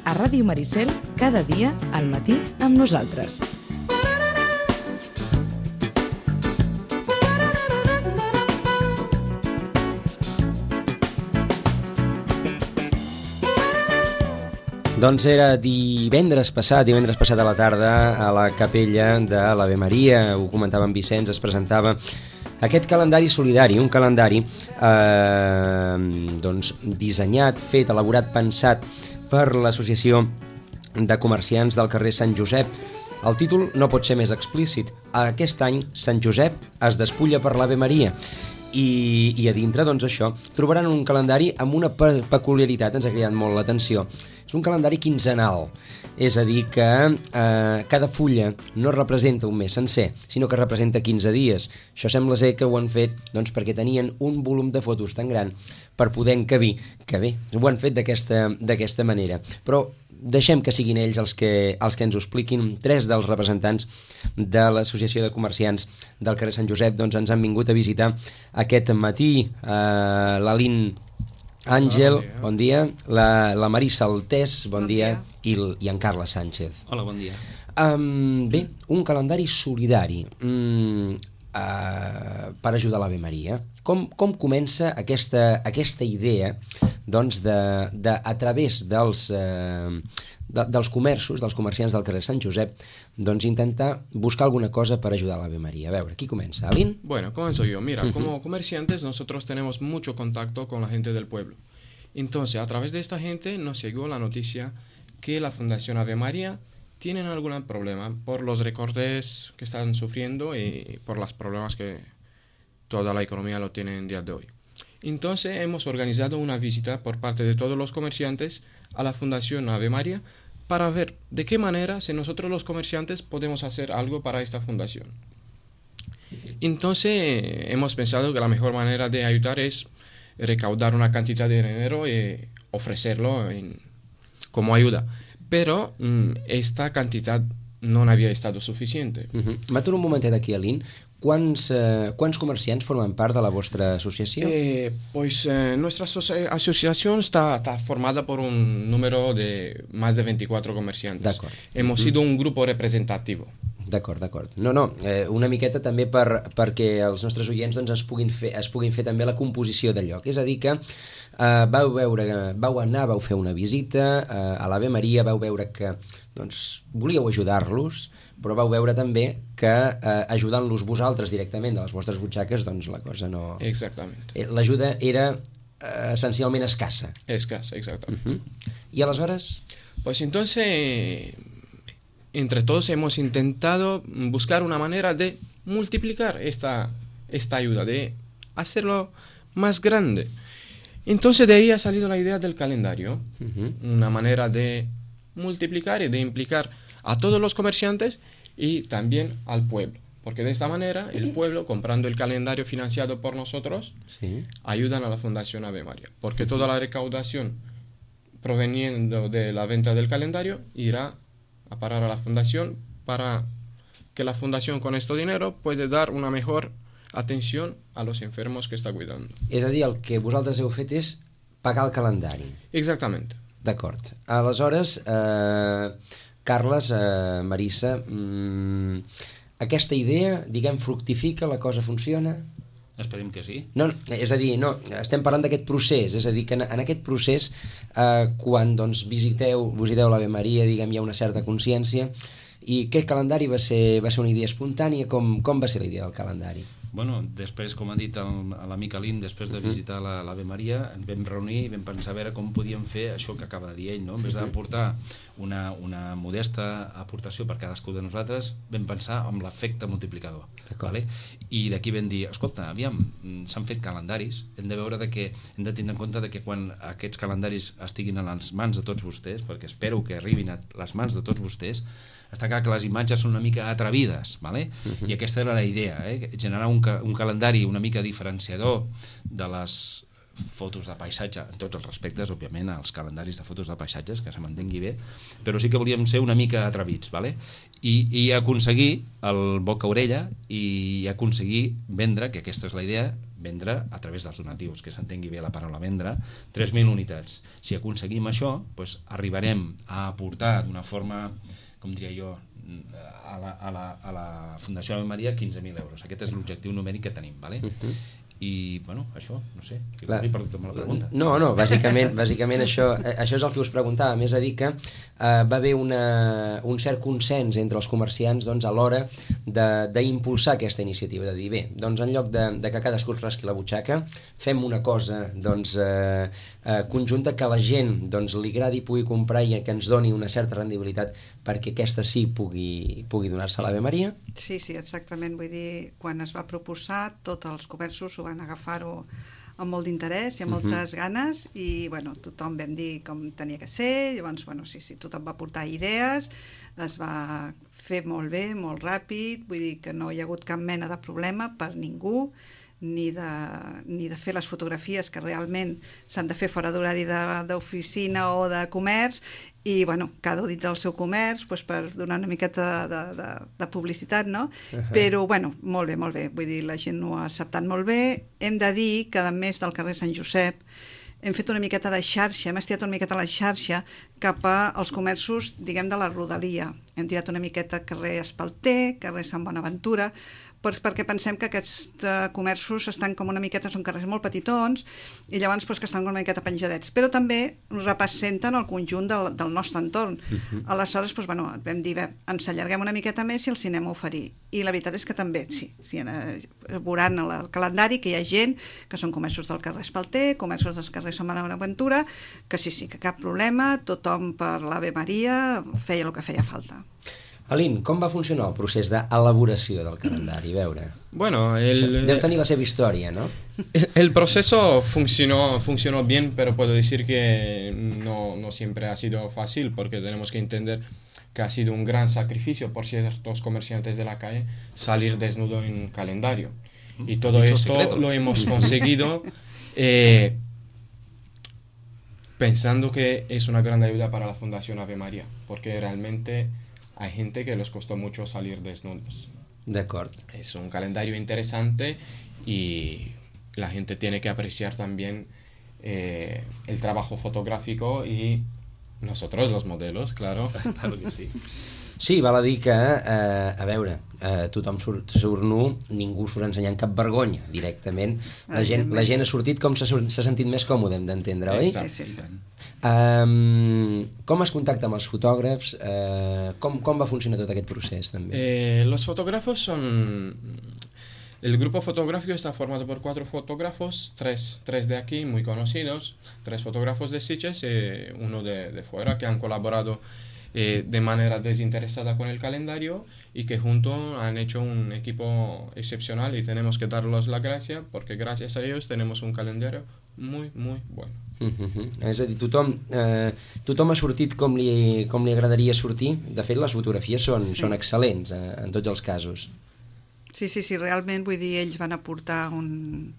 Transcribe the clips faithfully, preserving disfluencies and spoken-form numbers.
a Ràdio Maricel, cada dia al matí amb nosaltres. Doncs era divendres passat, divendres passat a la tarda, a la capella de l'Ave Maria, ho comentava en Vicenç, es presentava aquest calendari solidari, un calendari eh, doncs, dissenyat, fet, elaborat, pensat per l'Associació de Comerciants del carrer Sant Josep. El títol no pot ser més explícit. Aquest any Sant Josep es despulla per l'Ave Maria. I, i a dintre, doncs això, trobaran un calendari amb una pe peculiaritat, ens ha cridat molt l'atenció. És un calendari quinzenal, és a dir que eh, cada fulla no representa un mes sencer, sinó que representa quinze dies. Això sembla ser que ho han fet doncs, perquè tenien un volum de fotos tan gran per poder encabir, que bé, ho han fet d'aquesta manera. Però deixem que siguin ells els que, els que ens ho expliquin. Tres dels representants de l'Associació de Comerciants del carrer Sant Josep doncs, ens han vingut a visitar aquest matí. Eh, l'Alín Àngel, Hola, bon dia, la, la Marisa Altés, bon, bon dia, dia. I, i en Carles Sánchez. Hola, bon dia. Um, bé, un calendari solidari um, uh, per ajudar l'Ave Maria. Com, com comença aquesta, aquesta idea doncs, de, de, a través dels, uh, de, dels comerços, dels comerciants del carrer Sant Josep, doncs intentar buscar alguna cosa per ajudar l'Ave Maria? A veure, qui comença? ¿Alín? Bueno, comienzo yo. Mira, como comerciantes nosotros tenemos mucho contacto con la gente del pueblo. Entonces, a través de esta gente nos llegó la noticia que la Fundación Ave María tiene algún problema por los recortes que están sufriendo y por los problemas que toda la economía lo tiene en día de hoy. Entonces, hemos organizado una visita por parte de todos los comerciantes a la Fundación Ave María para ver de qué manera, si nosotros los comerciantes podemos hacer algo para esta fundación. Entonces, hemos pensado que la mejor manera de ayudar es recaudar una cantidad de dinero y ofrecerlo en, como ayuda. Pero mmm, esta cantidad no había estado suficiente. Uh-huh. M'aturo un momentet aquí, Alín. Quants, eh, quants comerciants formen part de la vostra associació? Eh, pues eh, nuestra asociación está, está formada por un número de más de veinticuatro comerciantes. D'acord. Hemos sido un grupo representativo. D'acord, d'acord. No, no, eh, una miqueta també per, perquè els nostres oients doncs, es, puguin fer, es puguin fer també la composició del lloc. És a dir que eh, vau, veure, vau anar, vau fer una visita eh, a l'Ave Maria, vau veure que doncs, volíeu ajudar-los, però vau veure també que eh, ajudant-los vosaltres directament de les vostres butxaques, doncs la cosa no... Exactament. Eh, l'ajuda era eh, essencialment escassa. Escassa, exactament. Uh-huh. I aleshores? Pues entonces... Entre todos hemos intentado buscar una manera de multiplicar esta, esta ayuda, de hacerlo más grande. Entonces de ahí ha salido la idea del calendario, uh-huh. Una manera de multiplicar y de implicar a todos los comerciantes y también al pueblo. Porque de esta manera el pueblo, comprando el calendario financiado por nosotros, sí. Ayudan a la Fundación Ave María. Porque uh-huh. Toda la recaudación proveniendo de la venta del calendario irá a parar a la fundación para que la fundación con este dinero puede dar una mejor atención a los enfermos que está cuidando. És a dir, el que vosaltres heu fet és pagar el calendari. Exactament. D'acord. Aleshores, eh, Carles, eh, Marisa, mmm, aquesta idea, diguem, fructifica, la cosa funciona? Esperem que sí. No, és a dir, no, estem parlant d'aquest procés, és a dir, que en, en aquest procés, eh, quan doncs, visiteu, visiteu l'Ave Maria, diguem, hi ha una certa consciència, i aquest calendari va ser, va ser una idea espontània, com, com va ser la idea del calendari? Bueno, després, com ha dit l'amic Alín, després de visitar l'Ave Maria, ens vam reunir i vam pensar a veure com podíem fer això que acaba de dir ell, no? En vez d'aportar una, una modesta aportació per cadascú de nosaltres, vam pensar en l'efecte multiplicador. Vale? I d'aquí vam dir, escolta, aviam, s'han fet calendaris, hem de veure de que, hem de tenir en compte de que quan aquests calendaris estiguin a les mans de tots vostès, perquè espero que arribin a les mans de tots vostès, està clar que les imatges són una mica atrevides, vale? Uh-huh. I aquesta era la idea, eh? Generar un, ca un calendari una mica diferenciador de les fotos de paisatge, en tots els respectes, òbviament, als calendaris de fotos de paisatges, que se m'entengui bé, però sí que volíem ser una mica atrevits, ¿vale? I, i aconseguir el boca-orella i aconseguir vendre, que aquesta és la idea, vendre a través dels donatius, que s'entengui bé la paraula vendre, tres mil unitats. Si aconseguim això, doncs arribarem a aportar d'una forma, com diria jo, a la, a la, a la Fundació Ave Maria quinze mil euros. Aquest és l'objectiu numèric que tenim, ¿vale? Uh-huh. I, bueno, això, no sé, que m'he perdut amb la pregunta. No, no, bàsicament, bàsicament això, això és el que us preguntava, més a dir que eh, va haver una, un cert consens entre els comerciants doncs, a l'hora d'impulsar aquesta iniciativa, de dir, bé, doncs en lloc de, de que cadascú es rasqui la butxaca, fem una cosa doncs, eh, eh, conjunta que la gent doncs, li agradi, pugui comprar i que ens doni una certa rendibilitat perquè aquesta sí pugui, pugui donar-se a l'Ave Maria. Sí, sí, exactament, vull dir, quan es va proposar, tots els comerços ho van agafar-ho amb molt d'interès i amb moltes uh-huh. ganes i bueno, tothom vam dir com tenia que ser, llavors bueno, sí, sí, tothom va portar idees, es va fer molt bé, molt ràpid, vull dir que no hi ha hagut cap mena de problema per ningú, ni de, ni de fer les fotografies que realment s'han de fer fora d'horari d'oficina o de comerç i bueno, cada un dit del seu comerç doncs, per donar una miqueta de, de, de publicitat, no? Uh-huh. Però bueno, molt bé, molt bé, vull dir, la gent ho ha acceptat molt bé. Hem de dir que a més del carrer Sant Josep hem fet una miqueta de xarxa, hem estirat una miqueta la xarxa cap als comerços, diguem, de la rodalia. Hem tirat una miqueta carrer Espalter, carrer Sant Bonaventura, perquè pensem que aquests comerços estan com una miqueta, són carrers molt petitons i llavors doncs, que estan una miqueta penjadets, però també representen el conjunt del, del nostre entorn. Uh-huh. Aleshores, doncs, bueno, vam dir, bé, ens allarguem una miqueta més i el cinema oferir. I la veritat és que també, sí, sí veuran el calendari que hi ha gent que són comerços del carrer Espalter, comerços del carrer Sant Bonaventura, que sí, sí, que cap problema, tothom per l'Ave Maria feia el que feia falta. Aline, com va funcionar el procés d'elaboració del calendari? A veure. Bueno, el... Deu tenir la seva història, ¿no? El, el proceso funcionó, funcionó bien, pero puedo decir que no, no siempre ha sido fácil, porque tenemos que entender que ha sido un gran sacrificio por ciertos comerciantes de la calle salir desnudo en un calendario. Y todo esto secreto. Lo hemos conseguido eh, pensando que es una gran ayuda para la Fundación Ave María, porque realmente hay gente que les costó mucho salir desnudos. De acuerdo. Es un calendario interesante y la gente tiene que apreciar también eh, el trabajo fotográfico y nosotros, los modelos, claro. Claro que sí. Sí, val a dir que, eh, a veure, eh, tothom surt, surt nu, ningú surt ensenyant cap vergonya, directament. La gent, la gent ha sortit com s'ha sentit més còmode, hem d'entendre, oi? Exacte, sí, sí. Um, com es contacta amb els fotògrafs? Uh, com, com va funcionar tot aquest procés, també? Eh, los fotógrafos son... El grupo fotográfico está formado por cuatro fotógrafos, tres, tres de aquí muy conocidos, tres fotógrafos de Sitges y eh, uno de, de fuera que han colaborado eh, de manera desinteresada con el calendario y que juntos han hecho un equipo excepcional y tenemos que darles la gracia porque gracias a ellos tenemos un calendario muy, muy bueno. Uh-huh. És a dir, tothom, eh, tothom ha sortit com li, com li agradaria sortir. De fet, les fotografies són, sí. són excel·lents eh, en tots els casos. Sí, sí, sí, realment, vull dir, ells van aportar un,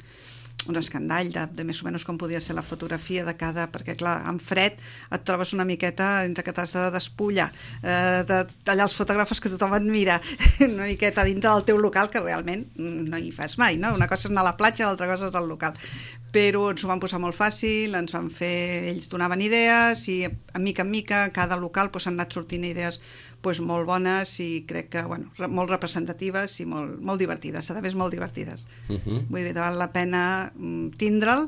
un escandall de, de més o menys com podia ser la fotografia de cada... Perquè, clar, en fred et trobes una miqueta entre que t'has de despullar, eh, de tallar els fotògrafs que tothom admira, una miqueta dintre del teu local, que realment no hi fas mai, no? Una cosa és anar a la platja, l'altra cosa és al local. Però ens ho van posar molt fàcil, ens van fer... Ells donaven idees i, a mica en mica, cada local doncs, han anat sortint idees pues, molt bones i crec que bueno, molt representatives i molt, molt divertides, a més molt divertides. Uh-huh. Vull dir, val la pena tindre'l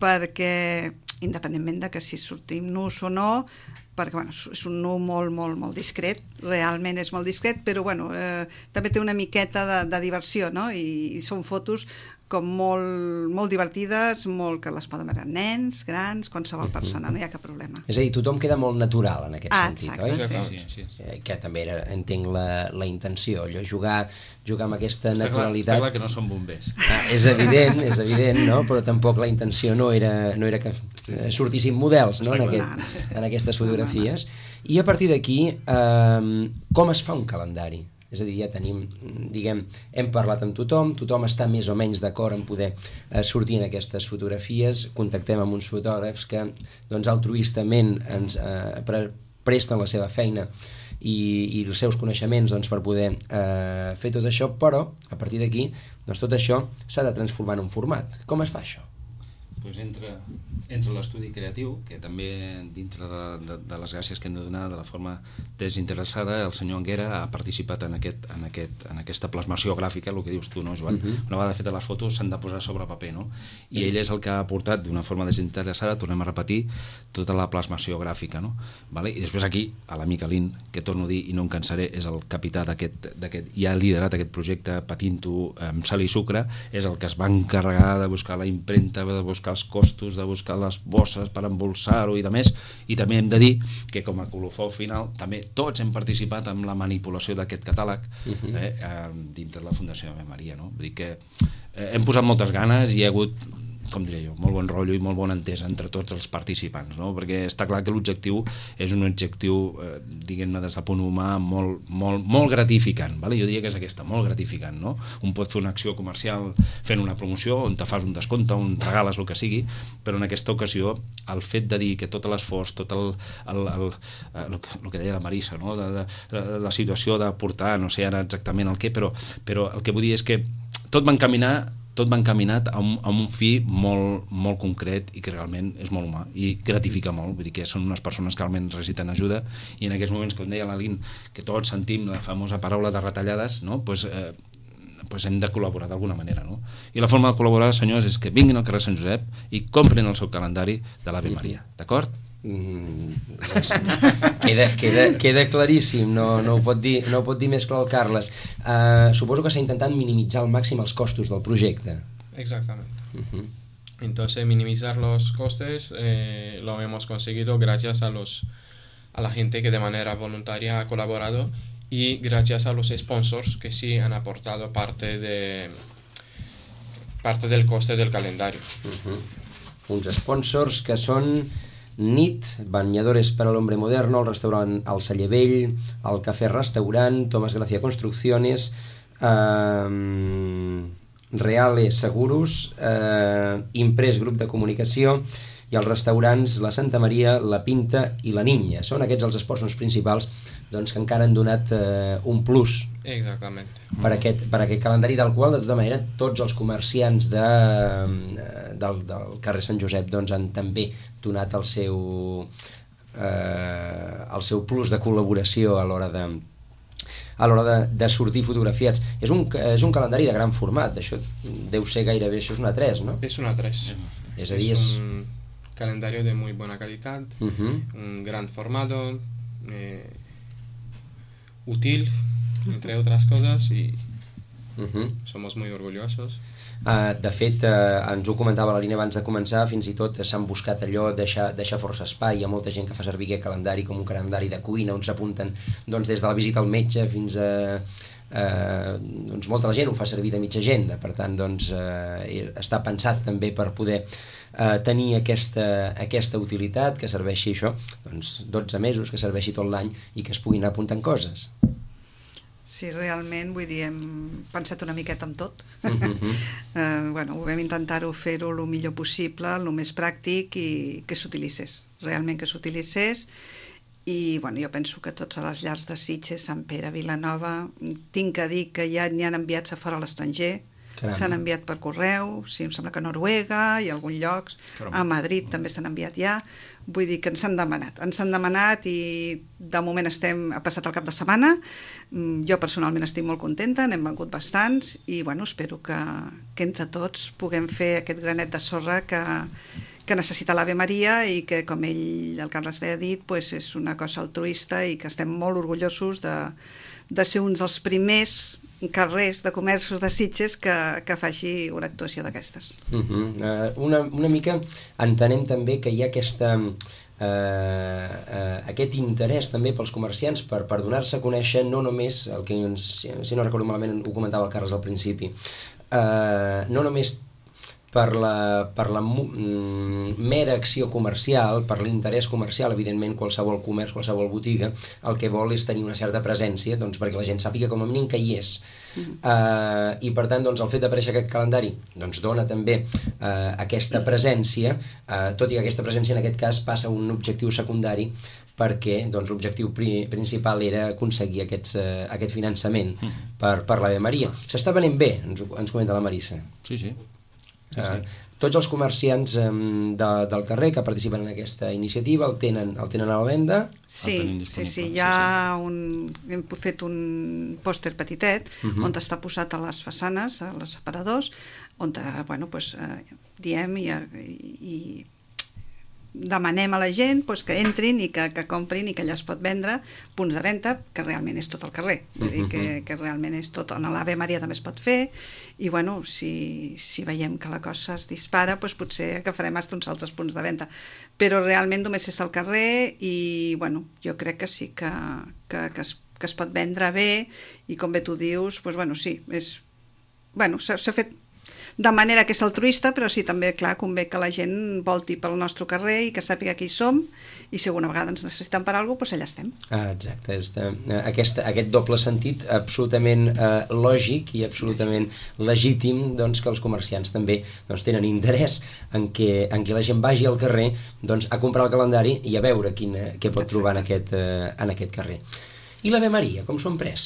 perquè, independentment de que si sortim nus o no, perquè bueno, és un nu molt, molt, molt discret, realment és molt discret, però bueno, eh, també té una miqueta de, de diversió, no? I, i són fotos com molt, molt divertides, molt que les poden veure nens, grans, qualsevol persona, no hi ha cap problema. És a dir, tothom queda molt natural en aquest ah, sentit, exacte, oi? Sí, sí, sí. Eh, que també era, entenc la, la intenció, allò, jugar, jugar amb aquesta està naturalitat. Clar, està clar que no són bombers. Ah, és evident, és evident, no? Però tampoc la intenció no era, no era que eh, sortissin models, no? en, aquest, en aquestes fotografies. I a partir d'aquí, eh, com es fa un calendari? És És a dir, ja tenim, diguem, hem parlat amb tothom, tothom està més o menys d'acord en poder eh, sortir en aquestes fotografies, contactem amb uns fotògrafs que doncs, altruistament ens eh, pre presten la seva feina i, i els seus coneixements doncs, per poder eh, fer tot això, però a partir d'aquí doncs, tot això s'ha de transformar en un format. Com es fa això? Pues entre, entre l'estudi creatiu, que també dintre de, de, de les gràcies que hem de donar de la forma desinteressada, el senyor Anguera ha participat en, aquest, en, aquest, en aquesta plasmació gràfica, el que dius tu, no, Joan? Uh-huh. Una vegada fetes les fotos s'han de posar sobre paper, no? I ell és el que ha aportat d'una forma desinteressada, tornem a repetir, tota la plasmació gràfica, no? Vale? I després aquí, a l'amic Alín, que torno a dir i no em cansaré, és el capità d'aquest, i ha liderat aquest projecte patint-ho amb sal i sucre, és el que es va encarregar de buscar la impremta, de buscar els costos, de buscar les bosses per embolsar-ho i de més, i també hem de dir que com a colofó final també tots hem participat en la manipulació d'aquest catàleg uh-huh. eh, eh, dintre de la Fundació Ave Maria, no? Vull dir que eh, hem posat moltes ganes i hi ha hagut, com diré jo, molt bon rotllo i molt bona entesa entre tots els participants, no? Perquè està clar que l'objectiu és un objectiu, eh, diguem-ne, des del punt humà molt, molt, molt gratificant, vale? Jo diria que és aquesta, molt gratificant, no? Un pot fer una acció comercial fent una promoció on te fas un descompte, on regales el que sigui, però en aquesta ocasió el fet de dir que tot l'esforç, tot el, el, el, el, el que deia la Marisa, no? de, de, de, la situació de portar, no sé ara exactament el què, però, però el que vull dir és que tot va encaminar tot va encaminat a un, a un fi molt, molt concret i que realment és molt humà i gratifica molt, vull dir que són unes persones que realment necessiten ajuda i en aquests moments, com deia l'Alín, que tots sentim la famosa paraula de retallades, no? pues, eh, pues hem de col·laborar d'alguna manera, no? I la forma de col·laborar, senyors, és que vinguin al carrer Sant Josep i comprin el seu calendari de l'Ave Maria, d'acord? Mm, doncs, queda, queda, queda claríssim, no, no, ho pot dir, no ho pot dir més clar el Carles. Uh, suposo que s'ha intentat minimitzar al màxim els costos del projecte. Exactamente. Uh-huh. Entonces, minimizar los costes eh, lo hemos conseguido gracias a, los, a la gente que de manera voluntaria ha colaborado y gracias a los sponsors que sí han aportado parte, de, parte del coste del calendario. Uh-huh. Uns sponsors que són N I T, Bañadores para el Hombre Moderno, el restaurant El Celler Vell, el Cafè Restaurant, Tomás Gracia Construcciones, eh, Reale Seguros, eh, Imprès Grup de Comunicació i els restaurants La Santa Maria, La Pinta i La Niña. Són aquests els sponsors principals doncs, que encara han donat eh, un plus Exactament. per aquest, per aquest calendari, del qual de tota manera tots els comerciants de, del, del carrer Sant Josep doncs, han també donat el seu eh, el seu plus de col·laboració a l'hora de a l'hora de, de sortir fotografiats. És un, és un calendari de gran format, això deu ser gairebé, això és una A tres, no? És una A tres. És a dir, és un calendario de muy buena calidad, uh-huh. un gran formato, eh, útil, entre otras cosas, y uh-huh. somos muy orgullosos. Uh, de fet, uh, ens ho comentava la línia abans de començar, fins i tot s'han buscat allò, deixar, deixar força espai. Hi ha molta gent que fa servir aquest calendari com un calendari de cuina, on s'apunten doncs, des de la visita al metge fins a... Uh, doncs molta la gent ho fa servir de mitja agenda, per tant doncs, uh, està pensat també per poder uh, tenir aquesta, aquesta utilitat, que serveixi això, doncs dotze mesos, que serveixi tot l'any i que es puguin anar apuntant coses. Sí, realment, vull dir, hem pensat una miqueta en tot. Uh-huh. eh, bueno, vam intentar-ho fer-ho el millor possible, el més pràctic i que s'utilitzés, realment que s'utilitzés. I bueno, jo penso que tots a les llars de Sitges, Sant Pere, Vilanova, tinc que dir que ja n'hi han enviats a fora a l'estranger, s'han enviat per correu, sí, em sembla que a Noruega i a alguns llocs, a Madrid també s'han enviat ja, vull dir que ens han demanat, ens han demanat i de moment estem, ha passat el cap de setmana, jo personalment estic molt contenta, n'hem vengut bastants i bueno, espero que, que entre tots puguem fer aquest granet de sorra que, que necessita l'Ave Maria i que, com ell, el Carles bé ha dit, pues és una cosa altruista i que estem molt orgullosos de, de ser uns dels primers carrers de comerços de Sitges que, que faci una actuació d'aquestes. Uh-huh. uh, una, una mica entenem també que hi ha aquesta, uh, uh, aquest interès també pels comerciants per, per donar-se a conèixer no només, el que si, si no recordo malament ho comentava el Carles al principi, uh, no només per la, per la mm, mera acció comercial, per l'interès comercial, evidentment qualsevol comerç, qualsevol botiga, el que vol és tenir una certa presència, doncs, perquè la gent sàpiga com a mínim que hi és. Mm. Uh, I per tant, doncs, el fet d'aparèixer aquest calendari doncs, dona també uh, aquesta presència, uh, tot i que aquesta presència en aquest cas passa a un objectiu secundari, perquè doncs, l'objectiu pri principal era aconseguir aquests, uh, aquest finançament mm. per, per l'Ave Maria. S'està venent bé, ens, ens comenta la Marissa. Sí, sí. Sí, sí. Uh, tots els comerciants um, de, del carrer que participen en aquesta iniciativa el tenen, el tenen a la venda? Sí, sí, sí, hi ha un, hem fet un pòster petitet uh -huh. on està posat a les façanes, a les separadors, on bueno, pues, eh, diem i, i demanem a la gent pues, que entrin i que, que comprin i que allà es pot vendre punts de venda, que realment és tot el carrer, vull dir que, que realment és tot, on l'Ave Maria també es pot fer, i bueno, si, si veiem que la cosa es dispara, pues, potser agafarem fins uns altres punts de venda, però realment només és al carrer i bueno, jo crec que sí que, que, que, es, que es pot vendre bé, i com bé tu dius, pues, bueno, sí, és, bueno, s'ha fet de manera que és altruista, però sí, també, clar, convé que la gent volti pel nostre carrer i que sàpiga qui hi som, i si alguna vegada ens necessiten per alguna cosa, doncs allà estem. Ah, exacte, és de, aquest, aquest doble sentit absolutament eh, lògic i absolutament legítim, doncs, que els comerciants també doncs, tenen interès en que, en que la gent vagi al carrer doncs, a comprar el calendari i a veure quin, què pot exacte. Trobar en aquest, eh, en aquest carrer. I l'Ave Maria, com s'ho han pres?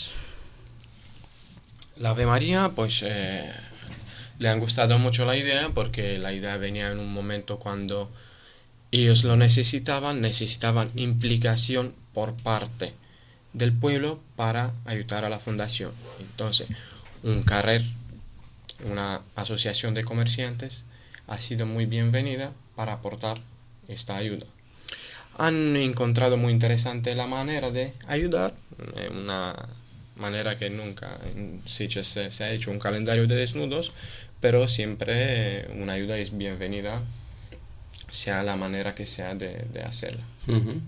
L'Ave Maria, pues... Eh... le han gustado mucho la idea porque la idea venía en un momento cuando ellos lo necesitaban, necesitaban implicación por parte del pueblo para ayudar a la fundación. Entonces, un carrer, una asociación de comerciantes, ha sido muy bienvenida para aportar esta ayuda. Han encontrado muy interesante la manera de ayudar, una manera que nunca en Sitges se, se ha hecho un calendario de desnudos, pero siempre una ayuda es bienvenida, sea la manera que sea de, de hacerla. Uh-huh.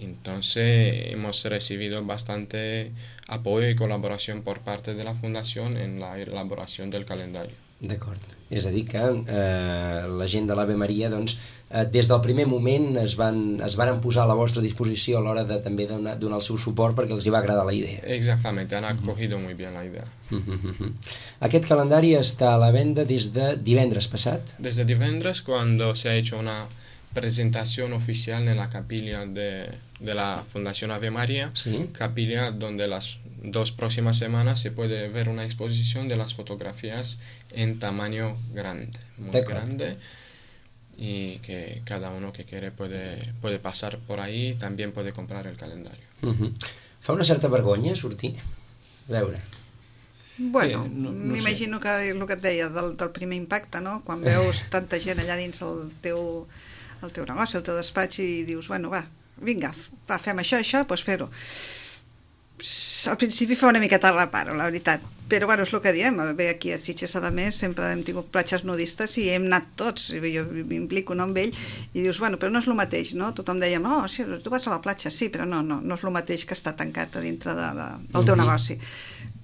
Entonces hemos recibido bastante apoyo y colaboración por parte de la Fundación en la elaboración del calendario. D'acord. És a dir que eh, la gent de l'Ave Maria doncs, eh, des del primer moment es van, es van posar a la vostra disposició a l'hora de també donar, donar el seu suport perquè els hi va agradar la idea. Exactamente, han acogido uh-huh. muy bien la idea. Uh-huh. Aquest calendari està a la venda des de divendres passat? Desde divendres, cuando se ha hecho una presentación oficial en la capilla de, de la Fundación Ave Maria, ¿sí? Capilla donde las dos próximas semanas se puede ver una exposición de las fotografías en tamaño grande, muy grande, y que cada uno que quiere puede, puede pasar por ahí, también puede comprar el calendario. Uh-huh. Fa una certa vergonya sortir? A veure. Bueno, eh, no, no m'imagino sé. Que el que et deia del, del primer impacte, no? Quan veus tanta gent allà dins el teu, el teu negoci, el teu despatx, i dius, bueno, va, vinga, va, fem això, això, doncs fer-ho. Al principi fa una miqueta reparo, la veritat, però bueno, és el que diem, bé, aquí a Sitges a més sempre hem tingut platges nudistes i hem anat tots, jo m'implico no amb ell, i dius, bueno, però no és el mateix, no? Tothom deia, no, sí, tu vas a la platja, sí, però no, no, no és el mateix que estar tancat a dintre de, de, del teu negoci.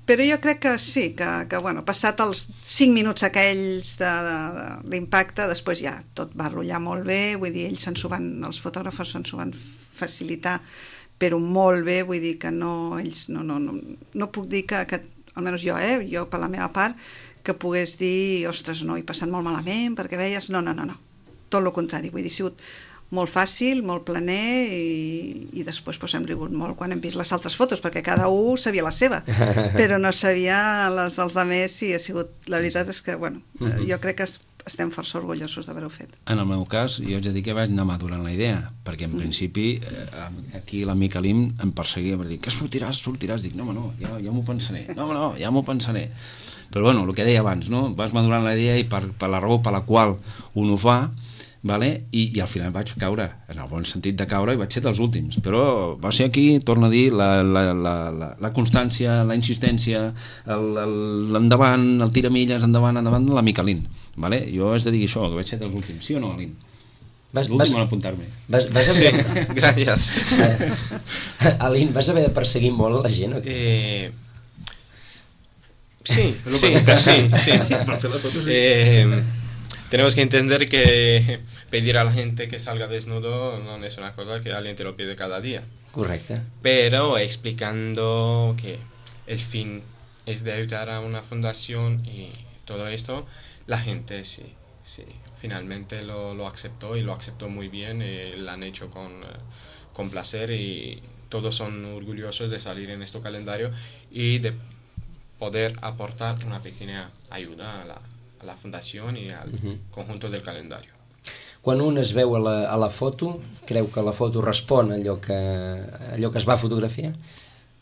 Però jo crec que sí, que, que bueno, passat els cinc minuts aquells d'impacte, de, de, després ja tot va rotllar molt bé, vull dir, ells se'n s'ho van, els fotògrafs se'n s'ho van facilitar, però molt bé, vull dir que no, ells no, no, no, no puc dir que, que, almenys jo, eh, jo per la meva part, que pogués dir, ostres, no, he passat molt malament, perquè veies, no, no, no, no, tot el contrari, vull dir, ha sigut molt fàcil, molt planer, i, i després pues, hem rigut molt quan hem vist les altres fotos, perquè cada un sabia la seva, però no sabia les dels altres, i ha sigut, la veritat és que, bueno, jo crec que es estem força orgullosos d'haver-ho fet. En el meu cas, jo haig de dir que vaig anar madurant la idea, perquè en mm. principi eh, aquí l'amic Alim em perseguia per dir que sortiràs, sortiràs, dic, no, home, no, ja, ja m'ho pensaré, no, home, no, ja m'ho pensaré. Però bueno, el que deia abans, no? Vas madurant la idea i per, per la raó per la qual un ho fa, vale? I, i al final vaig caure, en el bon sentit de caure, i vaig ser dels últims, però va ser aquí, torno a dir, la, la, la, la, la constància, la insistència, l'endavant, el, el tiramilles, endavant, endavant, la Micalín. Vale? Jo has de dir això, que vaig ser dels últims, sí o no, Alín? L'últim en apuntar-me. Vas, vas haver... Sí, gràcies. Alín, vas haver de perseguir molt la gent o què? Eh... Sí, sí, sí, sí. Eh, tenemos que entender que pedir a la gente que salga desnudo no es una cosa que alguien te lo pide cada día. Correcte. Pero explicando que el fin es de ayudar a una fundación y todo esto, la gente sí, sí finalmente lo, lo aceptó y lo aceptó muy bien, y lo han hecho con, con placer, y todos son orgullosos de salir en este calendario y de poder aportar una pequeña ayuda a la, a la fundación i al uh-huh. conjunto del calendari. Quan un es veu a la, a la foto, creu que la foto respon a allò que, allò que es va fotografiar?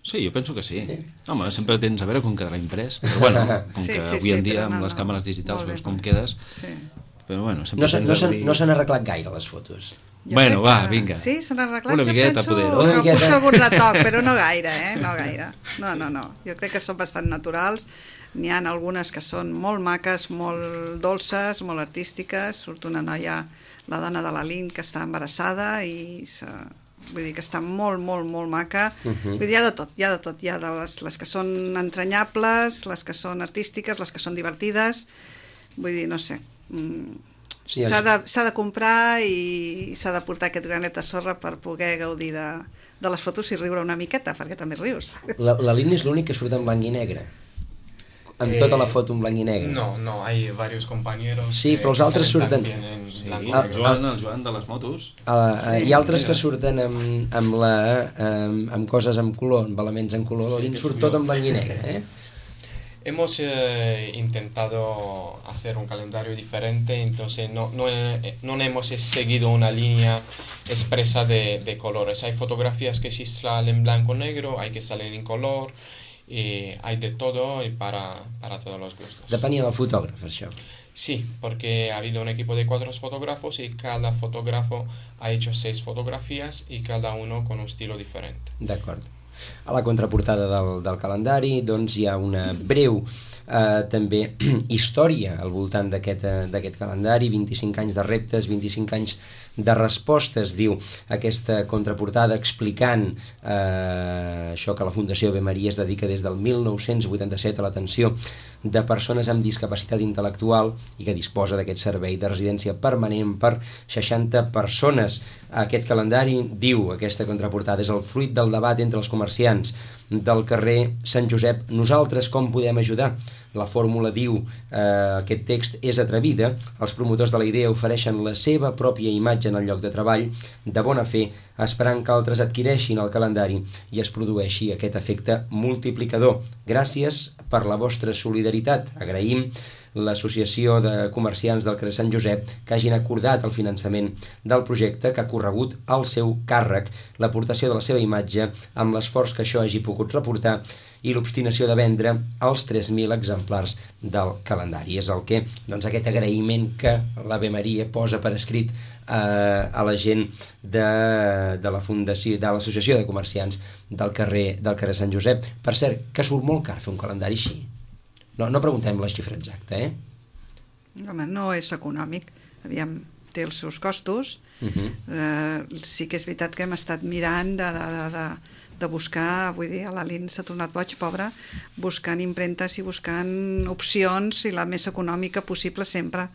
Sí, jo penso que sí. sí. Home, sempre tens a veure com quedarà imprès, però bueno, com sí, que sí, avui en sí, dia amb no, les no. càmeres digitals veus com bé. quedes, Sí. però bueno, sempre no tens no a dir... No s'han arreglat gaire les fotos. Jo bueno, va, que... vinga. Sí, s'han arreglat. Una jo miqueta, penso poder. Una que miqueta. potser algun retoc, però no gaire, eh? No gaire. No, no, no. Jo crec que són bastant naturals. N'hi ha algunes que són molt maques, molt dolces, molt artístiques. Surt una noia, la dona de la Lin, que està embarassada i se... vull dir que està molt, molt, molt maca. Uh-huh. Vull dir, hi ha de tot, hi ha de tot. Hi ha de les, les que són entranyables, les que són artístiques, les que són divertides. Vull dir, no sé... Mm. Sí, s'ha de, s'ha de comprar i s'ha de portar aquest granet de sorra per poder gaudir de, de les fotos i riure una miqueta, perquè també rius. La, la línia és l'únic que surt en blanc i negre? Amb eh, tota la foto en blanc i negre? No, no, hay varios compañeros. Sí, però els altres surten... Sí, el Joan, el Joan de les motos. Uh, sí, hi ha altres que surten amb, amb, la, amb, amb coses en color, amb elements en color. La línia surt tot en blanc i negre, eh? Hemos eh, intentado hacer un calendario diferente, entonces no, no, no hemos seguido una línea expresa de, de colores. Hay fotografías que sí salen en blanco y negro, hay que salen en color, y hay de todo y para, para todos los gustos. Depenia del fotògraf, això. Sí, porque ha habido un equipo de cuatro fotógrafos y cada fotógrafo ha hecho seis fotografías y cada uno con un estilo diferente. D'acord. A la contraportada del, del calendari doncs hi ha una breu eh, també història al voltant d'aquest eh, d'aquest calendari, vint-i-cinc anys de reptes, vint-i-cinc anys de respostes, diu aquesta contraportada, explicant eh, això, que la Fundació Ave Maria es dedica des del mil nou-cents vuitanta-set a l'atenció de persones amb discapacitat intel·lectual i que disposa d'aquest servei de residència permanent per seixanta persones. Aquest calendari, diu aquesta contraportada, és el fruit del debat entre els comerciants del carrer Sant Josep. Nosaltres com podem ajudar? La fórmula, diu, eh, aquest text és atrevida. Els promotors de la idea ofereixen la seva pròpia imatge en el lloc de treball, de bona fe, esperant que altres adquireixin el calendari i es produeixi aquest efecte multiplicador. Gràcies per la vostra solidaritat. Agraïm l'Associació de Comerciants del carrer Sant Josep que hagin acordat el finançament del projecte, que ha corregut al seu càrrec l'aportació de la seva imatge amb l'esforç que això hagi pogut reportar i l'obstinació de vendre els tres mil exemplars del calendari. És el que, doncs, aquest agraïment que l'Ave Maria posa per escrit eh, a la gent de, de la Fundació, de l'Associació de Comerciants del carrer, del carrer Sant Josep. Per cert, que surt molt car fer un calendari així. No, no preguntem la xifra exacta, eh? Home, no és econòmic. Aviam, té els seus costos. Uh-huh. eh, sí que és veritat que hem estat mirant de, de, de, de, de buscar, vull dir, a l'Alin s'ha tornat boig, pobra, buscant impremtes i buscant opcions i la més econòmica possible sempre.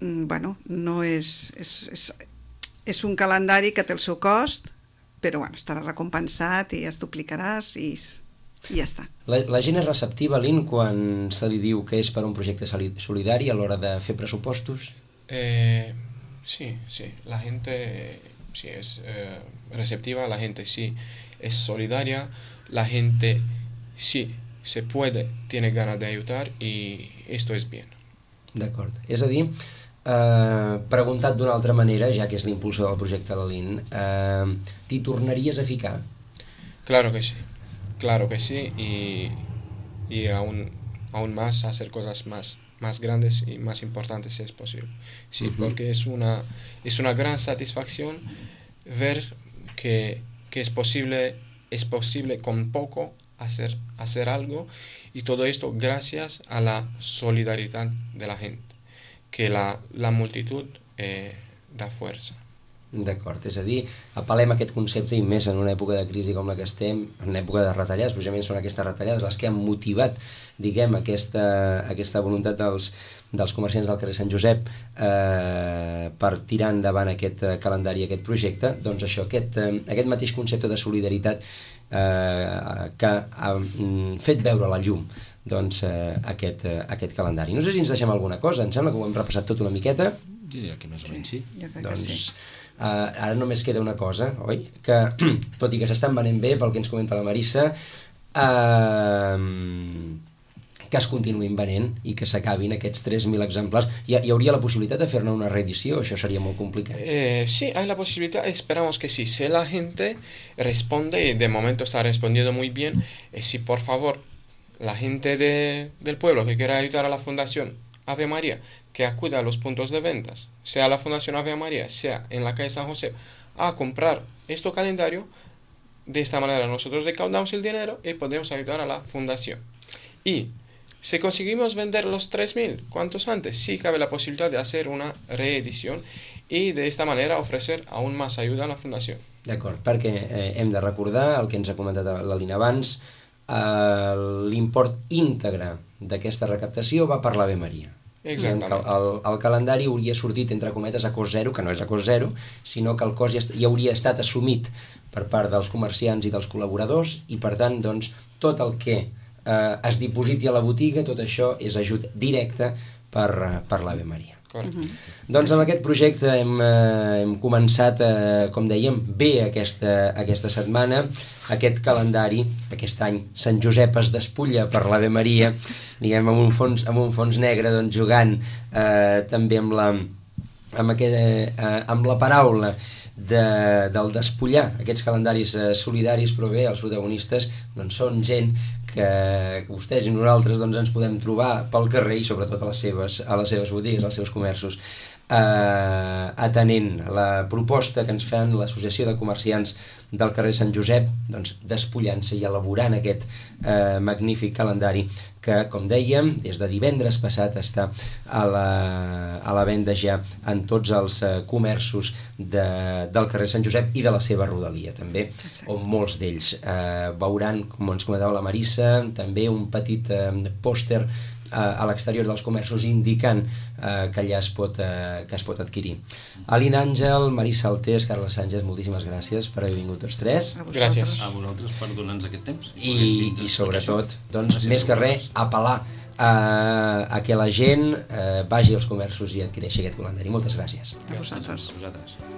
Mm, bueno, no és, és, és, és un calendari que té el seu cost, però bueno, estarà recompensat i es duplicaràs i... i ja està. La, la gent és receptiva, Lin, quan se li diu que és per un projecte solidari a l'hora de fer pressupostos? Eh, sí, sí, la gente sí es eh, receptiva, la gente sí es solidaria, la gente sí se puede, tiene ganas de ayudar y esto es bien. D'acord. És a dir, eh, preguntat d'una altra manera, ja que és l'impulsor del projecte de la Lin, eh, t'hi tornaries a ficar? Claro que sí. Claro que sí, y, y aún, aún más hacer cosas más, más grandes y más importantes si es posible. Sí, uh-huh. Porque es una, es una gran satisfacción ver que, que es posible, es posible con poco hacer, hacer algo, y todo esto gracias a la solidaridad de la gente, que la, la multitud eh, da fuerza. D'acord, és a dir, apel·lem a aquest concepte i més en una època de crisi com la que estem, en una època de retallades, precisament són aquestes retallades les que han motivat, diguem, aquesta, aquesta voluntat dels, dels comerciants del carrer Sant Josep eh, per tirar endavant aquest calendari, aquest projecte, doncs això, aquest, eh, aquest mateix concepte de solidaritat eh, que ha fet veure la llum doncs, eh, aquest, eh, aquest calendari. No sé si ens deixem alguna cosa, em sembla que ho hem repassat tot una miqueta. Jo diria que més o menys sí. Jo crec Doncs, que sí. Uh, ara només queda una cosa, oi? Que, tot i que s'estan venent bé, pel que ens comenta la Marissa, uh, que es continuïn venent i que s'acabin aquests tres mil exemplars. Hi, hi hauria la possibilitat de fer-ne una reedició? Això seria molt complicat. Eh, sí, hay la posibilidad, esperamos que sí. Si la gente responde, y de momento está respondiendo muy bien, eh, si por favor la gente de, del pueblo que quiera ayudar a la Fundación Ave María, que acuda a los puntos de ventas, sea la Fundación Ave María, sea en la calle San José, a comprar este calendario. De esta manera nosotros recaudamos el dinero y podemos ayudar a la fundación. Y si conseguimos vender los tres mil, ¿cuántos antes? Sí cabe la posibilidad de hacer una reedición y de esta manera ofrecer aún más ayuda a la fundación. D'acord, perquè eh, hem de recordar el que ens ha comentat l'Alina abans, eh, l'import íntegre d'aquesta recaptació va per l'Ave Maria. Exactament. El, el, el calendari hauria sortit, entre cometes, a cost zero, que no és a cost zero, sinó que el cost ja, ja hauria estat assumit per part dels comerciants i dels col·laboradors i, per tant, doncs, tot el que eh, es dipositi a la botiga, tot això és ajut directe per, per l'Ave Maria. Correcte. Mhm. Doncs amb aquest projecte hem, eh, hem començat, eh, com dèiem, bé aquesta, aquesta setmana, aquest calendari, aquest any Sant Josep es despulla per l'Ave Maria, diguem, amb un fons, amb un fons negre, doncs, jugant eh, també amb la, amb, aquest, eh, amb la paraula de, del despullar aquests calendaris eh, solidaris, però bé, els protagonistes doncs, són gent que vostès i nosaltres doncs, ens podem trobar pel carrer i sobretot a les seves, a les seves botigues, als seus comerços, eh, atenent la proposta que ens fan l'Associació de Comerciants del carrer Sant Josep, doncs, despullant-se i elaborant aquest eh, magnífic calendari que, com dèiem, des de divendres passat està a la, a la venda ja en tots els eh, comerços de, del carrer Sant Josep i de la seva rodalia també, on molts d'ells eh, veuran, com ens comentava la Marissa, també un petit eh, pòster a l'exterior dels comerços indicant eh, que allà es pot, eh, que es pot adquirir. Alina Àngel, Marissa Altés, Carles Sánchez, moltíssimes gràcies per haver vingut tots tres. A vosaltres. Gràcies. A vosaltres per donar-nos aquest temps. I, i sobretot, doncs, més que res, apel·lar a, a que la gent eh, vagi als comerços i adquireixi aquest calendari. Moltes gràcies. A vosaltres. A vosaltres.